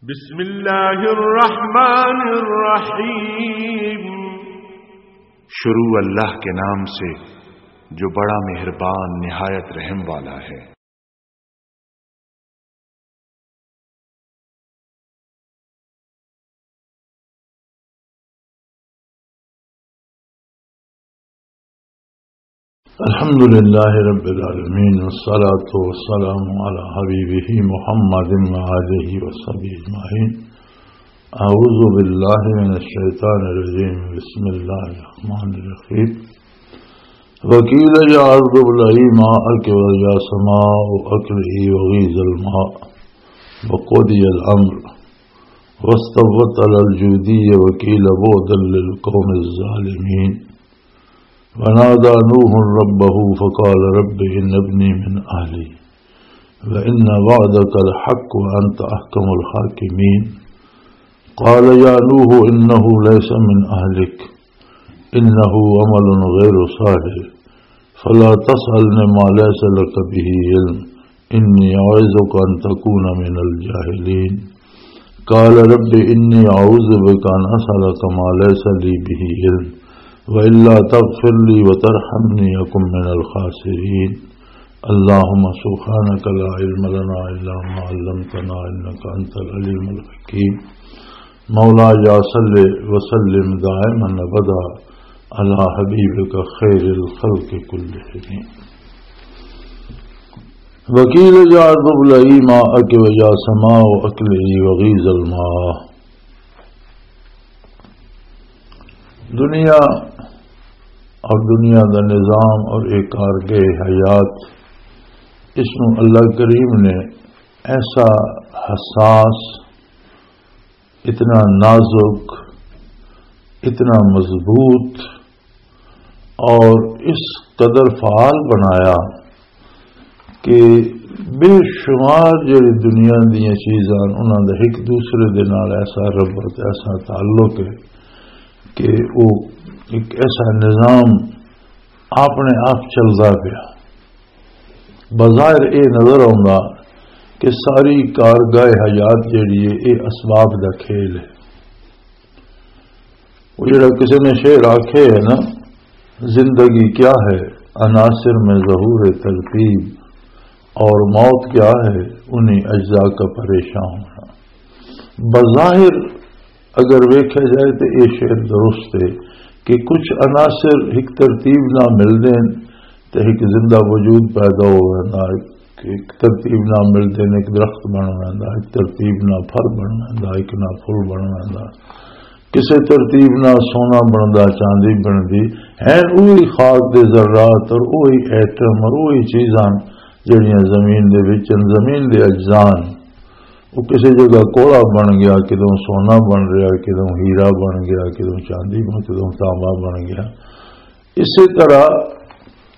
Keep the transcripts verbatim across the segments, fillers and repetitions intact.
بسم اللہ الرحمن الرحیم۔ شروع اللہ کے نام سے، جو بڑا مہربان، نہایت رحم والا ہے۔ الحمد لله رب العالمين، والصلاة والسلام على حبيبه محمد وآله وصحبه أجمعين. أعوذ بالله من الشيطان الرجيم. بسم الله الرحمن الرحيم. وقيل يا أرض ابلعي ماءك ويا سماء أقلعي وغيض الماء وقضي الأمر واستوت على الجودي وقيل بعدا للقوم الظالمين. ونادى نوح ربه فقال رب إن ابني من أهلي وإن وعدك الحق وأنت أحكم الحاكمين. قال يا نوح إنه ليس من أهلك إنه عمل غير صالح فلا تسألني ما ليس لك به علم إني أعظك أن تكون من الجاهلين. قال رب إني أعوذ بك أن أسألك ما ليس لي به علم وإلا تغفر لي وترحمني أكن من الخاسرين. اللهم سبحانك لا علم لنا إلا ما علمتنا إنك أنت العليم الحكيم. مولاي صل وسلم دائما أبدا على حبيبك خير الخلق كلهم. وقيل يا أرض ابلعي ماءك ويا سماء أقلعي وغيض الماء. دنیا اور دنیا دا نظام اور ایک کارگاہ حیات، اس نو اللہ کریم نے ایسا حساس، اتنا نازک، اتنا مضبوط اور اس قدر فعال بنایا کہ بے شمار جڑی دنیا دیاں چیزاں، انہاں دا ایک دوسرے دے نال ایسا ربط، ایسا تعلق ہے کہ وہ ایک ایسا نظام اپنے آپ چلدا پیا۔ بظاہر اے نظر آوندا کہ ساری کارگاہ حیات جڑی ہے، اے اسباب دا کھیل ہے۔ وہ جڑا کسی نے شعر آکھے ہے نا، زندگی کیا ہے؟ عناصر میں ظہور ترتیب، اور موت کیا ہے؟ انہیں اجزاء کا پریشان ہونا۔ بظاہر اگر ویکھا جائے تو یہ شعر درست ہے کہ کچھ عناصر ایک ترتیب نہ ملدے ہیں تو ایک زندہ وجود پیدا ہو ویندا، ایک ترتیب نہ ملدے ہیں، ایک درخت بن ویندا، ایک ترتیب نہ پھل بن ویندا، ایک نہ پھل بن ویندا۔ کسے ترتیب نال سونا بندا، چاندی بندی، ہیں اوہی خاک دے ذرات اور اوہی ایٹم اور اوہی چیزاں جڑیاں زمین دے وچ ہن، زمین دے اجزاء ہن۔ وہ کسے جگہ کوڑا بن گیا، کدوں سونا بن رہیا، کدوں ہیرا بن گیا، کدوں چاندی بن، کدوں تانبا بن گیا۔ اسی طرح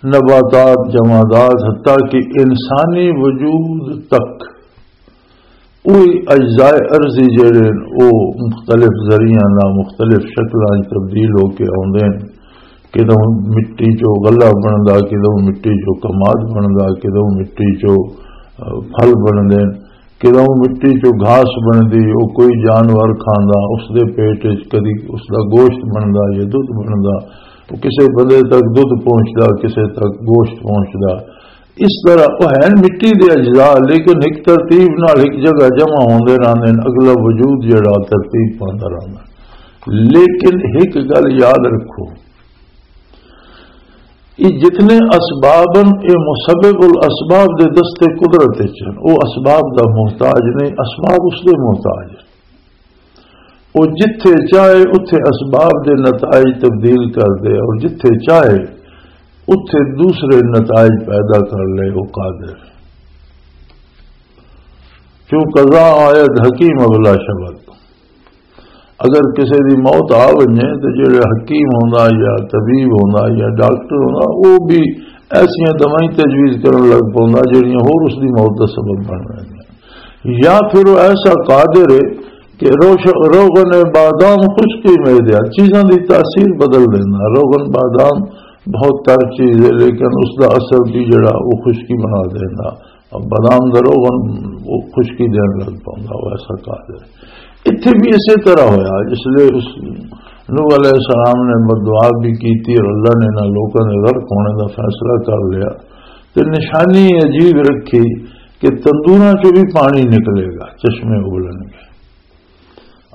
نباتات، جمادات، حتیٰ کہ انسانی وجود تک وہی اجزائے ارضی جڑے ہن، او مختلف ذریعیاں نال مختلف شکلاں وچ تبدیل ہو کے آوندے ہن۔ کدوں مٹی چوں غلہ بندا، کدوں مٹی چوں کماد بندا، کدوں مٹی چوں، آ، پھل بندے ہن، کدوں مٹی چوں گھاس بندی، او کوئی جانور کھاندا، اس دے پیٹ وچ کدی اس دا گوشت بندا یا دودھ بندا، او کسے بندے تک دودھ پہنچدا، کسے تک گوشت پہنچدا۔ اس طرح وہ ہیں مٹی دے اجزاء، لیکن ایک ترتیب نال ایک جگہ جمع ہوندے رہندے نے، اگلا وجود جڑا ترتیب پاندا رہندا۔ لیکن ایک گل یاد رکھو، یہ جتنے اسباب ہیں، یہ مسبب الاسباب دے دستے قدرت وچ ہیں۔ وہ اسباب دا محتاج نہیں، اسباب اس دے محتاج ہیں۔ وہ جتھے چاہے اتھے اسباب دے نتائج تبدیل کر دے، اور جتھے چاہے اتھے دوسرے نتائج پیدا کر لے، وہ قادر۔ کیوں قضا آیت حکیم ابلا شبت۔ اگر کسی دی موت آ ونجے تو جڑا حکیم ہوندا یا طبیب ہوندا یا ڈاکٹر ہوندا، وہ بھی ایسیاں دوائیں تجویز کرن لگ پوندا جڑیاں ہور اس دی موت دا سبب بن رہیاں۔ یا پھر وہ ایسا قادر ہے کہ روش-، روغن بادام خشکی میں دیا چیزاں دی تاثیر بدل دینا۔ روغن بادام بہت تر چیز ہے، لیکن اس دا اثر بھی جڑا وہ خشکی بنا دینا۔ بادام دا روغن، وہ خشکی دین لگ پوندا، وہ ایسا قادر ہے۔ اتھے بھی اسی طرح ہویا، جس لئے اس نوح علیہ السلام نے بددعا بھی کیتی اور اللہ نے انہاں لوکاں دے غرق ہونے دا فیصلہ کر لیا۔ تے نشانی عجیب رکھی کہ تندوراں چوں بھی پانی نکلے گا، چشمے اگلن گے۔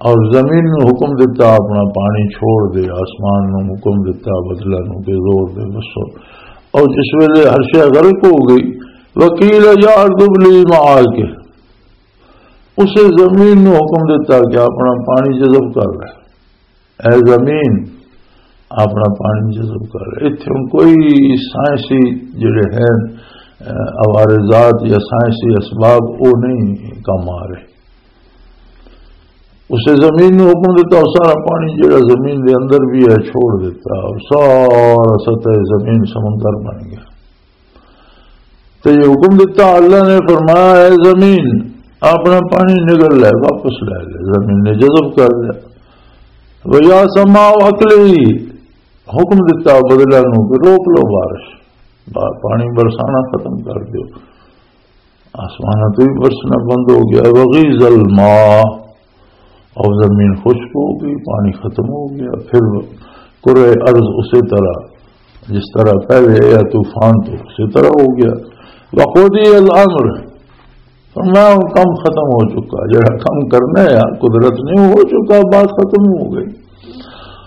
اور زمین نوں حکم دتا اپنا پانی چھوڑ دے، آسمان نوں حکم دتا بدلاں نوں کہ زور دے بسو۔ اور جس ویلے ہر شے غرق ہو گئی، وکیل یا ارض ابلعی ماءک، اسے زمین نوں حکم دتا کہ اپنا پانی جذب کر لے۔ اے زمین، اپنا پانی جذب کر لے۔ اتھے ہن کوئی سائنسی جڑے ہیں، اہ، عوارضات یا سائنسی اسباب، وہ نہیں کم آ رہے۔ اسے زمین نوں حکم دیتا، اور سارا پانی جڑا زمین دے اندر بھی ہے، چھوڑ دیتا، اور سارا سطح زمین سمندر بن گیا۔ تے یہ حکم دیتا اللہ نے، فرمایا، "اے زمین، اپنا پانی نگل لے، واپس لے لے۔" زمین نے جذب کر لیا۔ "ویا سماء اقلعی"، حکم دیتا بدلاں نوں کہ روک لو بارش، با-، پانی برسانا ختم کر دیو۔ آسماناں تو بھی برسنا بند ہو گیا۔ "وغیض الماء"، اور زمین خشک ہو گئی، پانی ختم ہو گیا۔ پھر کرۂ ارض اسی طرح، جس طرح پہلے آیا طوفان تو اسی طرح ہو گیا۔ "وقضی الامر"، فرمایا، "وہ کم ختم ہو چکا، جڑا کم کرنا ہے قدرت نے، وہ ہو چکا، بات ختم ہو گئی۔"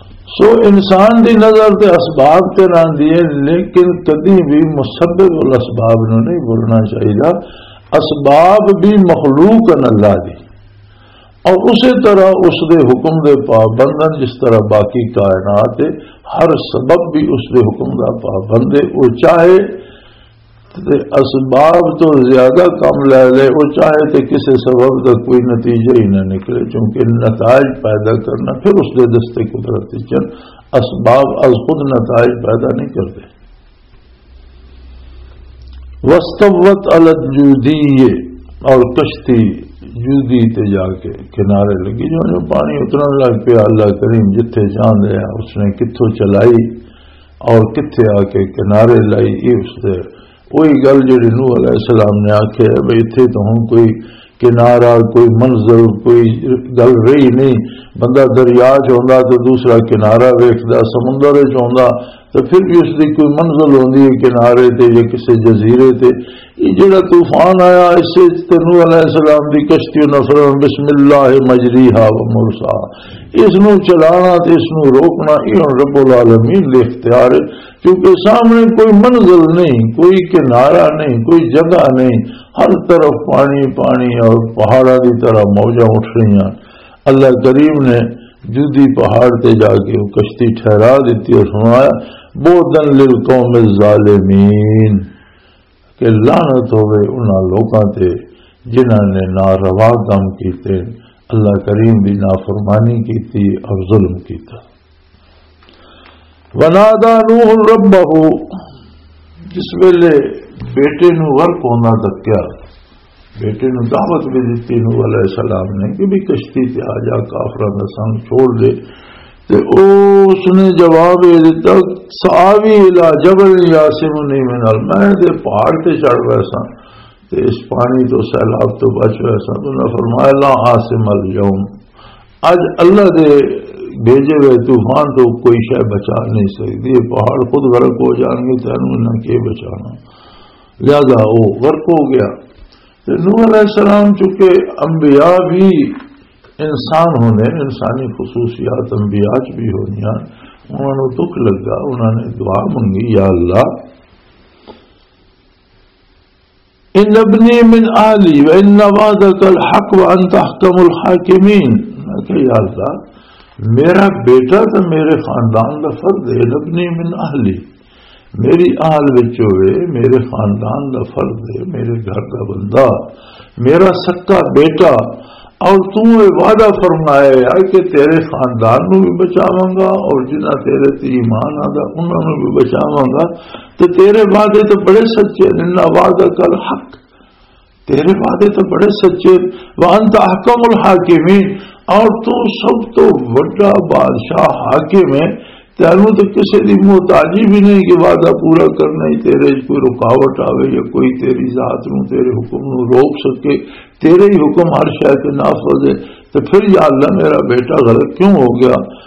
سو انسان دی نظر تے اسباب تے راندی ہے، لیکن کدی بھی مسبب الاسباب نوں نہیں بھولنا چاہیے۔ اسباب بھی مخلوق ہیں اللہ دی، اور اسی طرح اس دے حکم دے پابند ہیں، جس طرح باقی کائنات ہے، ہر سبب بھی اس دے حکم دا پابند ہے۔ وہ چاہے تے اسباب تو زیادہ کم لے لے، وہ چاہے تے کسے سبب دا کوئی نتیجہ ہی نہ نکلے، کیونکہ نتائج پیدا کرنا پھر اس دے دستے قدرت وچ ہن۔ اسباب از خود نتائج پیدا نہیں کرتے۔ "واستوت علی الجودی"، اور کشتی جودی تے جا کے کنارے لگی، جو جو پانی اترن لگ پیا، اللہ کریم جتھے چاہندے ہیں اس نے کتھوں چلائی اور کتھے آ کے کنارے لائی۔ یہ اس دے وہی گل جڑی نوح علیہ السلام نے آکھیا ہے، بھئی اتھے تو ہن کوئی کنارہ، کوئی منزل، کوئی گل رہی نہیں۔ بندہ دریا چ ہوندا تو دوسرا کنارہ ویکھدا، سمندر چ ہوندا تو پھر بھی اس دی کوئی منزل ہوندی ہے کنارے تے یا کسی جزیرے تے۔ یہ جڑا طوفان آیا، اس وچ تے نوح علیہ السلام دی کشتی، انہاں فرمایا، "بسم اللہ مجریہا و مرساہا"، اس نو چلانا تے اس نو روکنا، یہ ہن رب العالمین دے اختیار ہے، کیونکہ سامنے کوئی منزل نہیں، کوئی کنارہ نہیں، کوئی جگہ نہیں، ہر طرف پانی پانی اور پہاڑاں دی طرح موجاں اٹھ رہی ہیں۔ اللہ کریم نے جودی پہاڑ تے جا کے وہ کشتی ٹھہرا دیتی اور فرمایا، "بعداً للقوم الظالمین"، کہ لعنت ہوئے انہاں لوکاں تے جنہاں نے ناروا کام کیتے، اللہ کریم دی نافرمانی کیتی اور ظلم کیتا۔ "ونادى نوح ربه"، جس ویلے بیٹے نو غرق ہونا تکیا، بیٹے نو دعوت بھی دتی نوح علیہ السلام نے کہ بھی کشتی تے آ جا، کافراں دا سنگ چھوڑ دے۔ تے او، اس نے جواب یہ دیتا، "سآوی الی جبل یعصمنی من ال"، میں تے پہاڑ تے چڑھ ویساں تے اس پانی تو، سیلاب تو بچ ویساں۔ تو انہاں فرمایا، "لا عاصم الیوم"، اج اللہ دے بھیجے ہوئے طوفان تو کوئی شے بچا نہیں سکدی، یہ پہاڑ خود غرق ہو جان گے، تینوں انہاں کی بچانا۔ لہذا وہ غرق ہو گیا۔ تے نوح علیہ السلام چونکہ انبیاء بھی انسان ہونے، انسانی خصوصیات انبیاء چ بھی ہونیاں، انہاں نوں دکھ لگا، انہاں نے دعا منگی، "یا اللہ، ان ابنی من اہلی و ان وعدک الحق و انت احکم الحاکمین۔" میں کہا، "یا اللہ، میرا بیٹا تو میرے خاندان دا فرد ہے، ان ابنی من اہلی، میری اہل وچ ہوئے، میرے خاندان دا فرد ہے، میرے گھر دا بندہ، میرا سکا بیٹا، اور تو یہ وعدہ فرمایا ہے کہ تیرے خاندان نو بھی بچاواں گا اور جنہاں تیرے تے ایمان آندا انہاں نو بھی بچاواں گا، تے تیرے وعدے تو بڑے سچے ہیں، ان وعدک الحق، تیرے وعدے تو بڑے سچے، وانت احکم الحاکمین، اور تو سب تو وڈا بادشاہ حاکم ہے، تینوں تے کسے دی محتاجی بھی نہیں کہ وعدہ پورا کرنا ہی تیرے وچ کوئی رکاوٹ آوے یا کوئی تیری ذات نوں، تیرے حکم نوں روک سکے۔ تیرے ہی حکم ہر شے تے نافذ ہے۔ تو پھر یا اللہ، میرا بیٹا غرق کیوں ہو گیا؟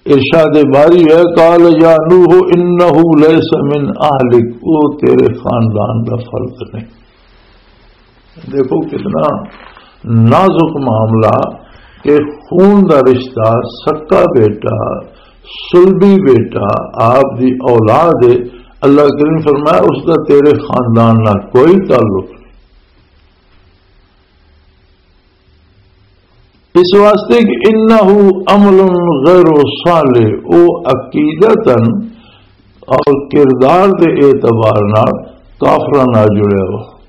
ارشاد باری ہے، "قال یا نوح انہ لیس من اہلک"، وہ تیرے خاندان دا فرد نہیں۔ دیکھو کتنا نازک معاملہ کہ خون دا رشتہ، سکا بیٹا، سلبی بیٹا، آپ دی اولاد ہے۔ اللہ کریم فرمایا، اس دا تیرے خاندان نال کوئی تعلق نہیں۔ اس واسطے کہ انہ عمل غیر صالح، او عقیدتاً اور کردار دے اعتبار نال کافراں نال جڑیا ہوا۔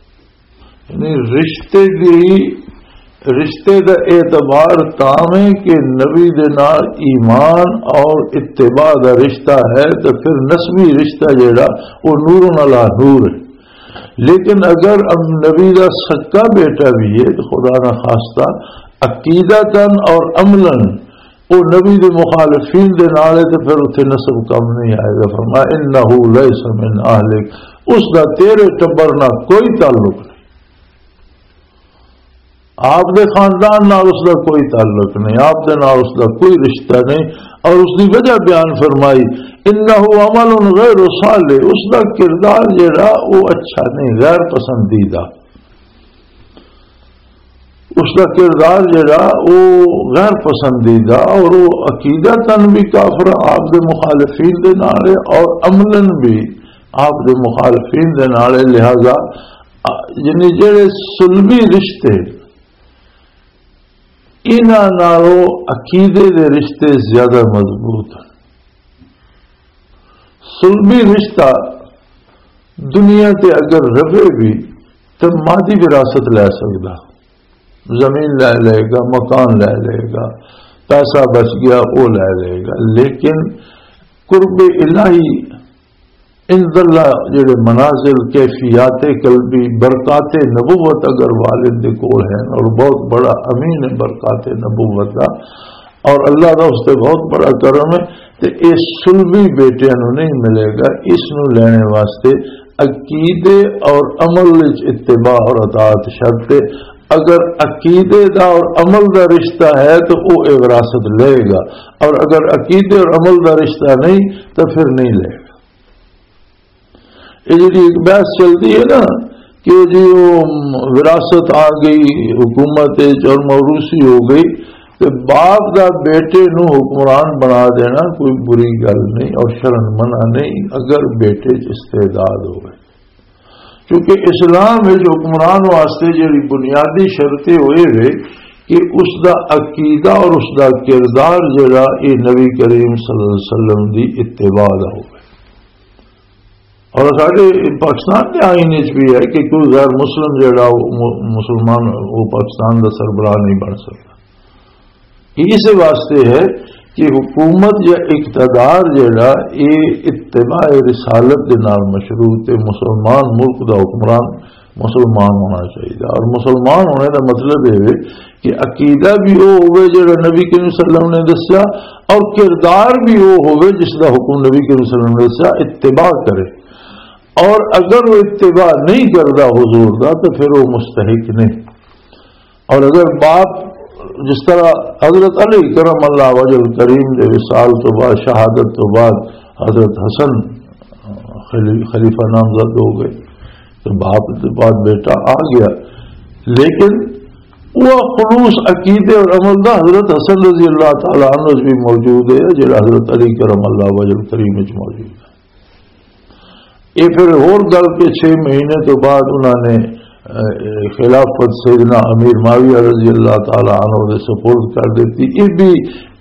یعنی رشتے دی، رشتے دا اعتبار تاویں کہ نبی دے نال ایمان اور اتباع دا رشتہ ہے، تو پھر نسبی رشتہ جڑا، وہ نور علی نور ہے۔ لیکن اگر اب نبی دا سکا بیٹا بھی ہے، تو خدا نہ خواستہ عقیدتاً اور عملاً وہ نبی دے مخالفین دے نال ہے، تو پھر اتھے نسب کم نہیں آئے گا۔ فرمایا، "انہ لیس من اہلک"، اس دا تیرے ٹبر نال کوئی تعلق نہیں، آپ دے خاندان نال اس دا کوئی تعلق نہیں، آپ دے نال اس دا کوئی رشتہ نہیں۔ اور اس دی وجہ بیان فرمائی، "انہ عمل غیر صالح"، اس دا کردار جڑا وہ اچھا نہیں، غیر پسندیدہ۔ اس دا کردار جڑا، او غیر پسندیدہ، اور او عقیدتاً بھی کافر آپ دے مخالفین دے نال ہے، اور عملاً بھی آپ دے مخالفین دے نال ہے۔ لہذا، آ، یعنی جڑے سلبی رشتے، انہاں نالوں عقیدے دے رشتے زیادہ مضبوط ہیں۔ سلبی رشتہ دنیا تے اگر رہے بھی، تے مادی وراثت لے سکدا، زمین لے لے گا، مکان لے لے گا، پیسہ بچ گیا، وہ لے لے گا، لیکن قرب الہی، عند اللہ، جڑے منازل، کیفیات قلبی، برکات نبوت اگر والد دے کول ہیں اور بہت بڑا امین ہے برکات نبوت دا، اور اللہ دا اس تے بہت بڑا کرم ہے، تے اے سلبی بیٹیاں نوں نہیں ملے گا۔ اس نوں لینے واسطے عقیدے اور عمل وچ اتباع اور اطاعت شرط ہے۔ اگر عقیدے دا اور عمل دا رشتہ ہے تو وہ اے وراثت لے گا، اور اگر عقیدے اور عمل دا رشتہ نہیں تو پھر نہیں لے گا۔ یہ جڑی ایک بحث چلتی ہے نا کہ جی وہ وراثت آ گئی، حکومت وچ اور موروثی ہو گئی، تے باپ دا بیٹے نو حکمران بنا دینا کوئی بری گل نہیں اور شرن منع نہیں، اگر بیٹے چ استعداد ہوئے۔ کیونکہ اسلام وچ حکمران واسطے جڑی بنیادی شرط یہ ہوئے وے کہ اس دا عقیدہ اور اس دا کردار جڑا، یہ نبی کریم صلی اللہ علیہ وسلم دی اتباع دا ہوئے۔ اور ساڈے پاکستان دے آئین وچ بھی ہے کہ کوئی غیر مسلم جڑا وہ م-، مسلمان، وہ پاکستان دا سربراہ نہیں بن سکتا۔ یہ اس واسطے ہے کہ حکومت یا اقتدار جڑا، یہ اتباع رسالت دے نال مشروط ہے۔ مسلمان ملک دا حکمران مسلمان ہونا چاہیے، اور مسلمان ہونے دا مطلب یہ ہے کہ عقیدہ بھی وہ ہوئے جڑا نبی کریم صلی اللہ علیہ وسلم نے دسیا، اور کردار بھی وہ ہوئے جس دا حکم نبی کریم صلی اللہ علیہ وسلم نے دسیا، اتباع کرے۔ اور اگر وہ اتباع نہیں کردا حضور دا، تو پھر وہ مستحق نہیں۔ اور اگر باپ، جس طرح حضرت علی کرم اللہ وجہ الکریم دے وصال تو بعد، شہادت تو بعد حضرت حسن خلی-، خلیفہ نامزد ہو گئے، تو باپ دے بعد بیٹا آ گیا، لیکن وہ خلوص عقیدے اور عمل دا حضرت حسن رضی اللہ تعالیٰ عنہ وچ بھی موجود ہے، جڑا حضرت علی کرم اللہ وجہ الکریم وچ موجود ہے۔ یہ پھر ہور گل کہ چھ مہینے تو بعد انہوں نے، اے، خلافت سیدنا امیر معاویہ رضی اللہ تعالیٰ عنہ دے سپرد کر دیتی۔ یہ بھی،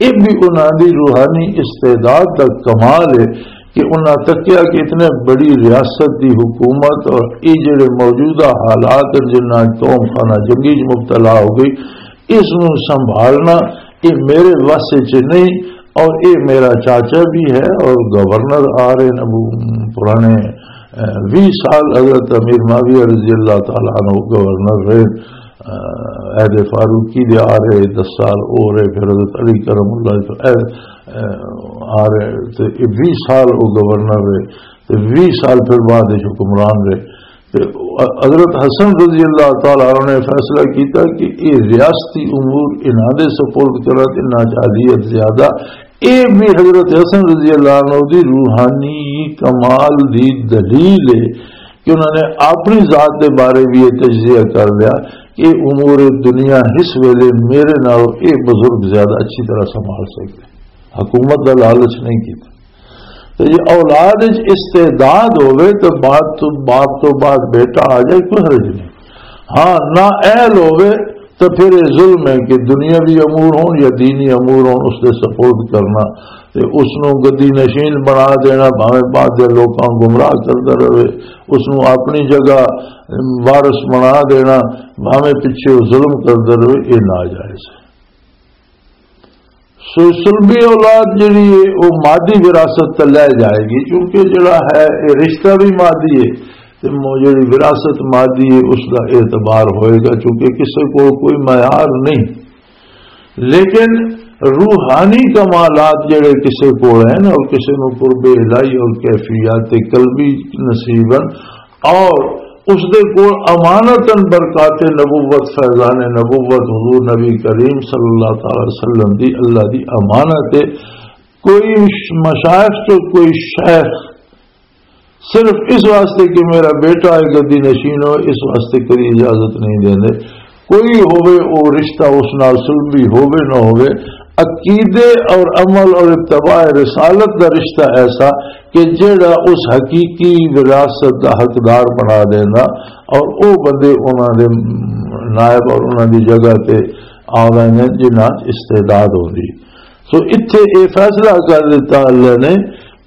یہ بھی انہوں دی روحانی استعداد دا کمال ہے کہ انہوں تکیا کہ اتنے بڑی ریاست دی حکومت اور یہ جڑے موجودہ حالات ہیں جنہاں قوم خانہ جنگی چ مبتلا ہو گئی، اس نوں سنبھالنا یہ میرے وس وچ نہیں، اور یہ میرا چاچا بھی ہے اور گورنر آ رہے ہیں، ابو پرانے، اے، ویہہ سال حضرت امیر معاویہ رضی اللہ تعالیٰ عنہ گورنر رہے، عہد فاروقی دے آ رہے، دس سال ہو رہے، پھر حضرت علی کرم اللہ وجہہ آ رہے، تے یہ ویہہ سال وہ گورنر رہے، تے ویہہ سال پھر بعد وچ حکمران رہے۔ تے حضرت حسن رضی اللہ تعالیٰ عنہ نے فیصلہ کیتا کہ یہ ریاستی امور انہاں دے سپرد کرا تے انہاں چ اہلیت زیادہ۔ یہ بھی حضرت حسن رضی اللہ عنہ دی روحانی کمال دی دلیل ہے کہ انہوں نے اپنی ذات دے بارے بھی یہ تجزیہ کر لیا کہ امور دنیا اس ویلے میرے نال یہ بزرگ زیادہ اچھی طرح سنبھال سکتے، حکومت دا لالچ نہیں کیتا۔ تو یہ اولاد وچ استعداد ہوے تو بعد تو، باپ تو بعد بیٹا آ جائے، کوئی حرج نہیں۔ ہاں، نہ اہل ہوے تو پھر یہ ظلم ہے کہ دنیاوی امور ہون یا دینی امور ہون، اس دے سپورٹ کرنا تے اس نوں گدی نشین بنا دینا، بھاویں بعد دے لوکاں گمراہ کردا رہے، اس نوں اپنی جگہ وارث بنا دینا، بھاویں پیچھے وہ ظلم کردا رہے، یہ ناجائز ہے۔ سو سلبی اولاد جڑی ہے، وہ مادی وراثت تے لے جائے گی، کیونکہ جڑا ہے، یہ رشتہ بھی مادی ہے، تے مو-، جڑی وراثت مادی ہے، اس دا اعتبار ہوئے گا، کیونکہ کسے کو کوئی معیار نہیں۔ لیکن روحانی کمالات جڑے کسے کول ہیں اور کسے نوں قرب الہی اور کیفیات قلبی نصیب ہیں، اور اس دے کول امانتاً برکات نبوت، فیضان نبوت، حضور نبی کریم صلی اللہ تعالی وسلم دی، اللہ دی امانت ہے۔ کوئی مشائخ تو کوئی شیخ صرف اس واسطے کہ میرا بیٹا ہے گدی نشین ہو، اس واسطے کدی اجازت نہیں دیندے۔ کوئی ہووے، او رشتہ اس نال سلبی ہووے نہ ہووے، عقیدے اور عمل اور اتباع رسالت دا رشتہ ایسا کہ جیڑا اس حقیقی وراثت دا حقدار بنا دینا، اور او بندے انہاں دے نائب اور انہاں دی جگہ تے آ ویندے جنہاں استعداد ہوندی۔ سو اتھے اے فیصلہ کر دیتا اللہ نے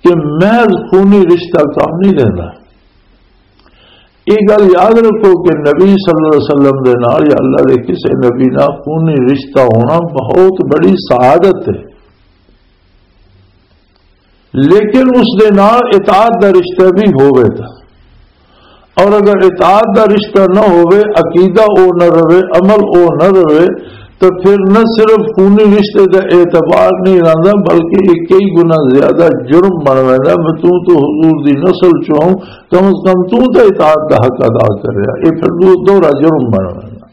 کہ محض خونی رشتہ کام نہیں دینا۔ یہ گل یاد رکھو کہ نبی صلی اللہ علیہ وسلم دے نال یا اللہ دے کسے نبی نال خونی رشتہ ہونا بہت بڑی سعادت ہے، لیکن اس دے نال اطاعت دا رشتہ بھی ہووے تا۔ اور اگر اطاعت دا رشتہ نہ ہووے، عقیدہ او نہ رہے، عمل او نہ رہے، تو پھر نہ صرف خونی رشتے دا اعتبار نہیں رہندا، بلکہ یہ کئی گنا زیادہ جرم بن ویندا۔ میں توں تو حضور دی نسل چوں، کم از کم توں تے اطاعت دا حق ادا کر رہا، یہ پھر دو-، دوہرا جرم بن ویندا۔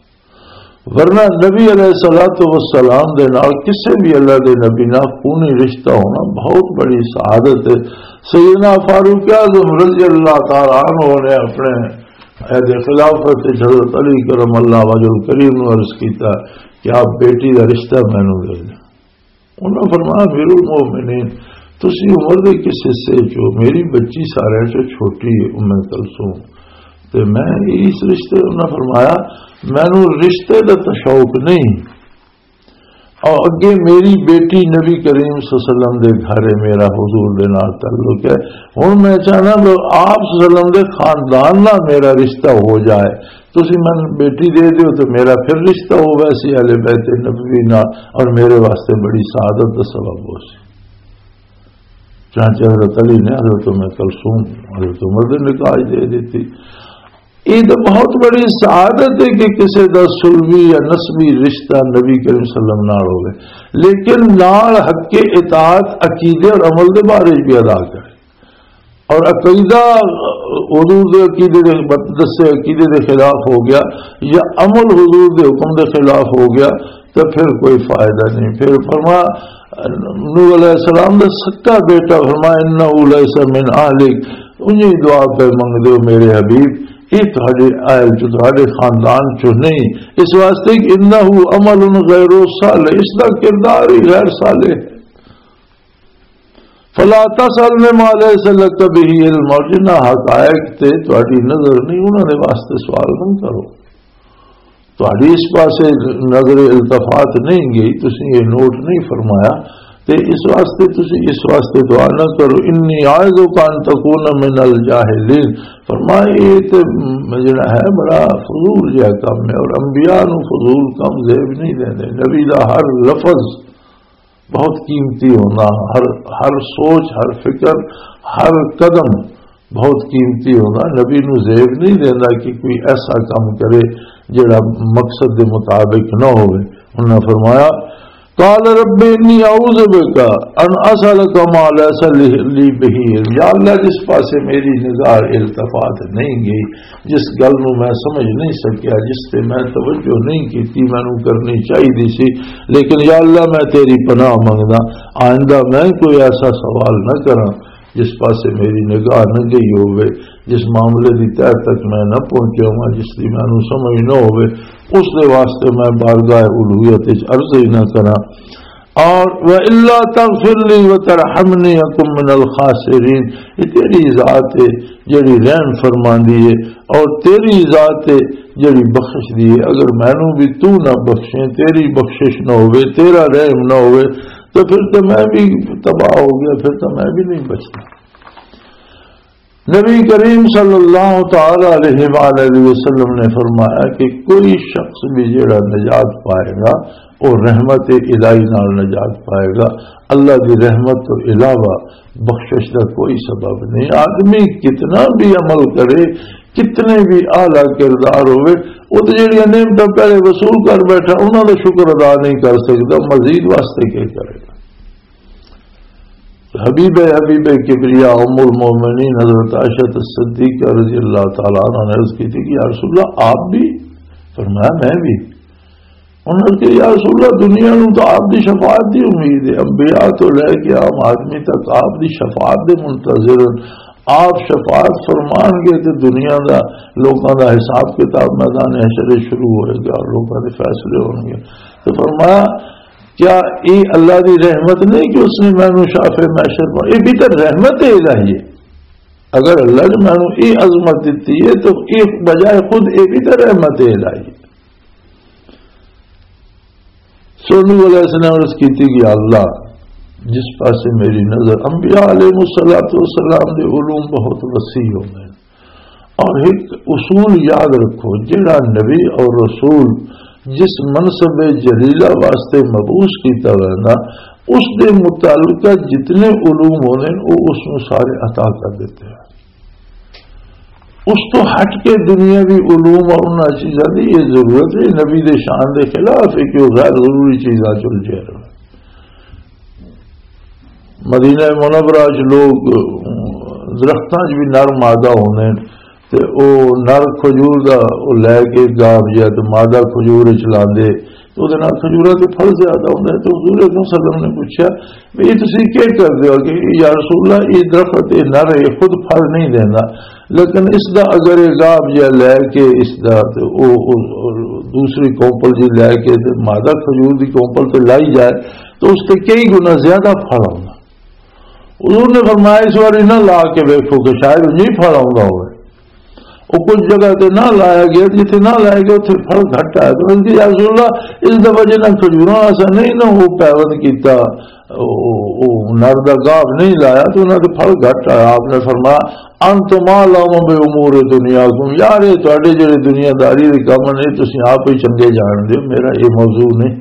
ورنہ نبی علیہ الصلوۃ والسلام دے نال کسے بھی اللہ دے نبی نال خونی رشتہ ہونا بہت بڑی سعادت ہے۔ سیدنا فاروق اعظم رضی اللہ تعالیٰ عنہ نے اپنے عہد خلافت وچ حضرت علی کرم اللہ وجہ الکریم نوں عرض کیتا کہ آپ بیٹی دا رشتہ مینوں دے دیں۔ انہاں فرمایا، "امیر المومنین، تسی عمر دے کس حصے چ ہو؟ میری بچی سارے چ چھوٹی ہے، ام کلثوم، تے میں اس رشتے۔" انہاں فرمایا، "مینوں رشتے دا تو شوق نہیں، اور اگے میری بیٹی نبی کریم صلی اللہ علیہ وسلم دے گھر ہے، میرا حضور دے نال تعلق ہے، ہن میں چاہنا کہ آپ صلی اللہ علیہ وسلم دے خاندان نال میرا رشتہ ہو جائے۔" تسی مینوں بیٹی دے دیو تو میرا پھر رشتہ ہو ویسی اہل بیت نبوی نال، اور میرے واسطے بڑی سعادت دا سبب ہو سی۔ چانچہ حضرت علی نے حضرت ام کلثوم، حضرت عمر دے نکاح دے دیتی۔ یہ تو بہت بڑی سعادت ہے کہ کسی دا سلوی یا نسبی رشتہ نبی کریم صلی اللہ علیہ وسلم نال ہوئے، لیکن نال حق اطاعت عقیدے اور عمل دے بارے بھی ادا کرے۔ اور عقیدہ حضور دے عقیدے دے، دسے عقیدے دے خلاف ہو گیا، یا عمل حضور دے حکم دے خلاف ہو گیا، تو پھر کوئی فائدہ نہیں۔ پھر فرما، نوح علیہ السلام دا سکا بیٹا، فرما، "انہ لیس من اہلک"، انہیں دعا پہ منگ دیو میرے حبیب، یہ تہاڈے اہل چ، تہاڈے خاندان چ نہیں، اس واسطے کہ "انہ عمل غیر صالح"، اس دا کردار ہی غیر صالح ہے۔ "فلا تسأل مما لیس لک بہ علم"، اور جنہاں حقائق تے تہاڈی نظر نہیں، انہاں دے واسطے سوال نہ کرو۔ تہاڈی اس پاسے نظر التفات نہیں گئی، تسی یہ نوٹ نہیں فرمایا، تے اس واسطے تسی اس واسطے دعا نہ کرو۔ "انی اعوذ بک ان تکون من الجاہلین"، فرمایا، یہ تے جڑا ہے بڑا فضول جہا کم ہے، اور انبیاء نو فضول کم زیب نہیں دیندے۔ نبی دا ہر لفظ بہت قیمتی ہونا، ہر، ہر سوچ، ہر فکر، ہر قدم بہت قیمتی ہونا۔ نبی نو زیب نہیں دینا کہ کوئی ایسا کام کرے جڑا مقصد دے مطابق نہ ہوئے۔ انہاں فرمایا، "قال رب انی اعوذ بک ان اسألک ما لیس لی، لی بہ علم۔" یا اللہ، جس پاسے میری نگاہ التفات نہیں گئی، جس گل نو میں سمجھ نہیں سکیا، جس تے میں توجہ نہیں کیتی، مینوں کرنی چاہیدی سی، لیکن یا اللہ، میں تیری پناہ منگدا، آئندہ میں کوئی ایسا سوال نہ کراں جس پاسے میری نگاہ نہ گئی ہوئے، جس معاملے دی تہہ تک میں نہ پہنچیا ہواں، جس دی مینوں سمجھ نہ ہوئے، اس دے واسطے میں بارگاہ الوہیت وچ عرض ہی نہ کراں۔ اور وَإِلَّا تَغْفِرْ لِي وَتَرْحَمْنِي أَكُن مِّنَ الْخَاسِرِينَ، یہ تیری ذات ہے جڑی رحم فرماندی ہے، اور تیری ذات ہے جڑی بخش دی ہے۔ اگر مینوں بھی تو نہ بخشیں، تیری بخشش نہ ہوئے، تیرا رحم نہ ہوئے، تو پھر تو میں بھی تباہ ہو گیا، پھر تو میں بھی نہیں بچتا۔ نبی کریم صلی اللہ تعالی علیہ وآلہ وسلم نے فرمایا کہ کوئی شخص بھی جڑا نجات پائے گا، وہ رحمت الہی نال نجات پائے گا۔ اللہ دی رحمت تو علاوہ بخشش دا کوئی سبب نہیں۔ آدمی کتنا بھی عمل کرے، کتنے بھی اعلیٰ کردار ہوئے، وہ تو جڑیاں نعمتاں پہلے وصول کر بیٹھا، انہاں دا شکر ادا نہیں کر سکتا، مزید واسطے کیا کرے گا؟ حبیب، حبیب کبریا ام المومنین حضرت عائشہ صدیقہ رضی اللہ تعالیٰ عنہ نے عرض کی تھی کہ یا رسول اللہ، آپ بھی؟ فرمایا، میں بھی۔ انہوں نے کہا، یا رسول اللہ، دنیا نو تو آپ دی شفاعت دی امید ہے، انبیاء تو لے کے عام آدمی تک آپ دی شفاعت دے منتظر ہیں۔ آپ شفاعت فرمان گے تو دنیا دا، لوکاں دا حساب کتاب میدان حشر شروع ہوئے گا اور لوکاں دے فیصلے ہون گے۔ تو فرمایا، کیا یہ اللہ دی رحمت نہیں کہ اس نے مینوں شافع محشر پر، یہ بھی تو رحمت الہی ہے۔ اگر اللہ نے مینوں یہ عظمت دیتی ہے تو یہ بجائے خود یہ بھی تو رحمت الہی ہے۔ سو نوح علیہ السلام عرض کی تھی کہ اللہ، جس پاسے میری نظر، انبیاء علیہ الصلوۃ والسلام دے علوم بہت وسیع ہوندے ہیں۔ اور ایک اصول یاد رکھو، جڑا نبی اور رسول جس منصب جلیلہ واسطے مبعوث کیتا ویندا، اس دے متعلقہ جتنے علوم ہوندے ہیں، وہ اس نوں سارے عطا کر دیتے ہیں۔ اس تو ہٹ کے دنیاوی علوم اور انہاں چیزاں دی یہ ضرورت ہے، نبی دے شان دے خلاف ہے کہ وہ غیر ضروری چیزاں چل جائے۔ مدینہ منورہ چ لوگ درختاں چ بھی نر مادہ ہوندے نے، تے او نر کھجور دا او لے کے گاب جا تے مادہ کھجور چ لاندے، تے اودے نال کھجوراں تے پھل زیادہ ہوندا ہے۔ تے حضور اکرم صلی اللہ علیہ وسلم نے پوچھا، "بھی یہ تسی کی کردے ہو؟" کہ، "یا رسول اللہ، یہ درخت، یہ نر ہے، یہ خود پھل نہیں دیندا، لیکن اس دا اگر یہ گاب جا لے کے اس دا تے او، او، او دوسری کونپل جی لے کے تے مادہ کھجور دی کونپل تے لائی جائے، تو اس تے کئی گنا زیادہ پھل آوندا۔" حضور نے فرمایا، "اس واری نہ لا کے ویکھو کہ شاید نہیں پھل آوندا ہوئے۔" وہ کچھ جگہ تے نہ لایا گیا، جتھے نہ لایا گیا، اتھے پھل گھٹ آیا۔ تو اس کی، "یا رسول اللہ، اس دا وجہ نہ کھجوراں ایسا نہیں، نہ وہ پیوند کیتا، او، او، او نر دا گاب نہیں لایا، تو انہاں دے پھل گھٹ آیا۔" آپ نے فرمایا، "انتم اعلم بامور دنیاکم"، یار، یہ تہاڈے جڑے دنیا داری دے کم نے، تسی آپ ہی چنگے جان دے، میرا یہ موضوع نہیں۔"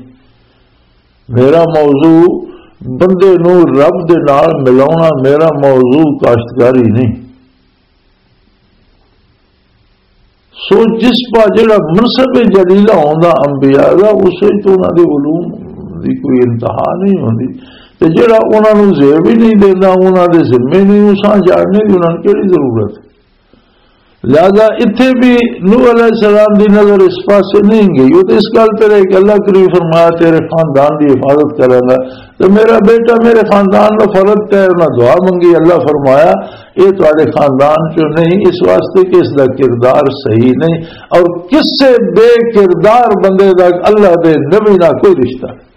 میرا موضوع بندے نو رب دے نال ملاونا، میرا موضوع کاشتکاری نہیں۔ سو جس پا جڑا منصب جلیلہ ہوندا انبیاء دا، اس وچ تو انہاں دے علوم دی کوئی انتہا نہیں ہوندی، تے جڑا انہاں نو زیب ہی نہیں دیندا، انہاں دے ذمے نہیں، اساں جاننے دی انہاں نوں کیڑی ضرورت؟ لہذا اتھے بھی نوح علیہ السلام دی نظر اس پاسے نہیں گئی۔ وہ تو اس گل تے رہے کہ اللہ کریم فرمایا، "تیرے خاندان دی حفاظت کرے گا۔" تو میرا بیٹا میرے خاندان دا فرد تے انہاں دعا منگی، اللہ فرمایا، "یہ تہاڈے خاندان چوں نہیں، اس واسطے کہ اس دا کردار صحیح نہیں۔" اور کسے بے کردار بندے دا اللہ دے نبی نال کوئی رشتہ نہیں۔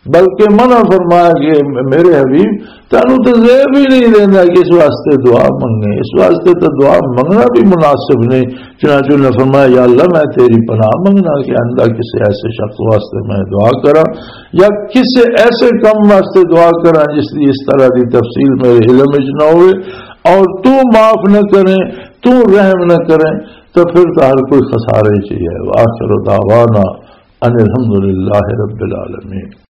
بلکہ منع فرمایا کہ میرے حبیب، تینوں تو زیب ہی نہیں دینا کہ اس واسطے دعا منگے، اس واسطے تو دعا منگنا بھی مناسب نہیں۔ چنانچہ انہوں نے فرمایا، "یا اللہ، میں تیری پناہ منگنا کہ آئندہ کسی ایسے شخص واسطے میں دعا کراں یا کسی ایسے کم واسطے دعا کراں جس دی اس طرح دی تفصیل میرے علم وچ نہ ہوئے، اور تو معاف نہ کریں، تو رحم نہ کریں، تو پھر تو ہر کوئی خسارے چ ہی ہے۔" وآخر دعوانا ان الحمد للہ رب العالمین۔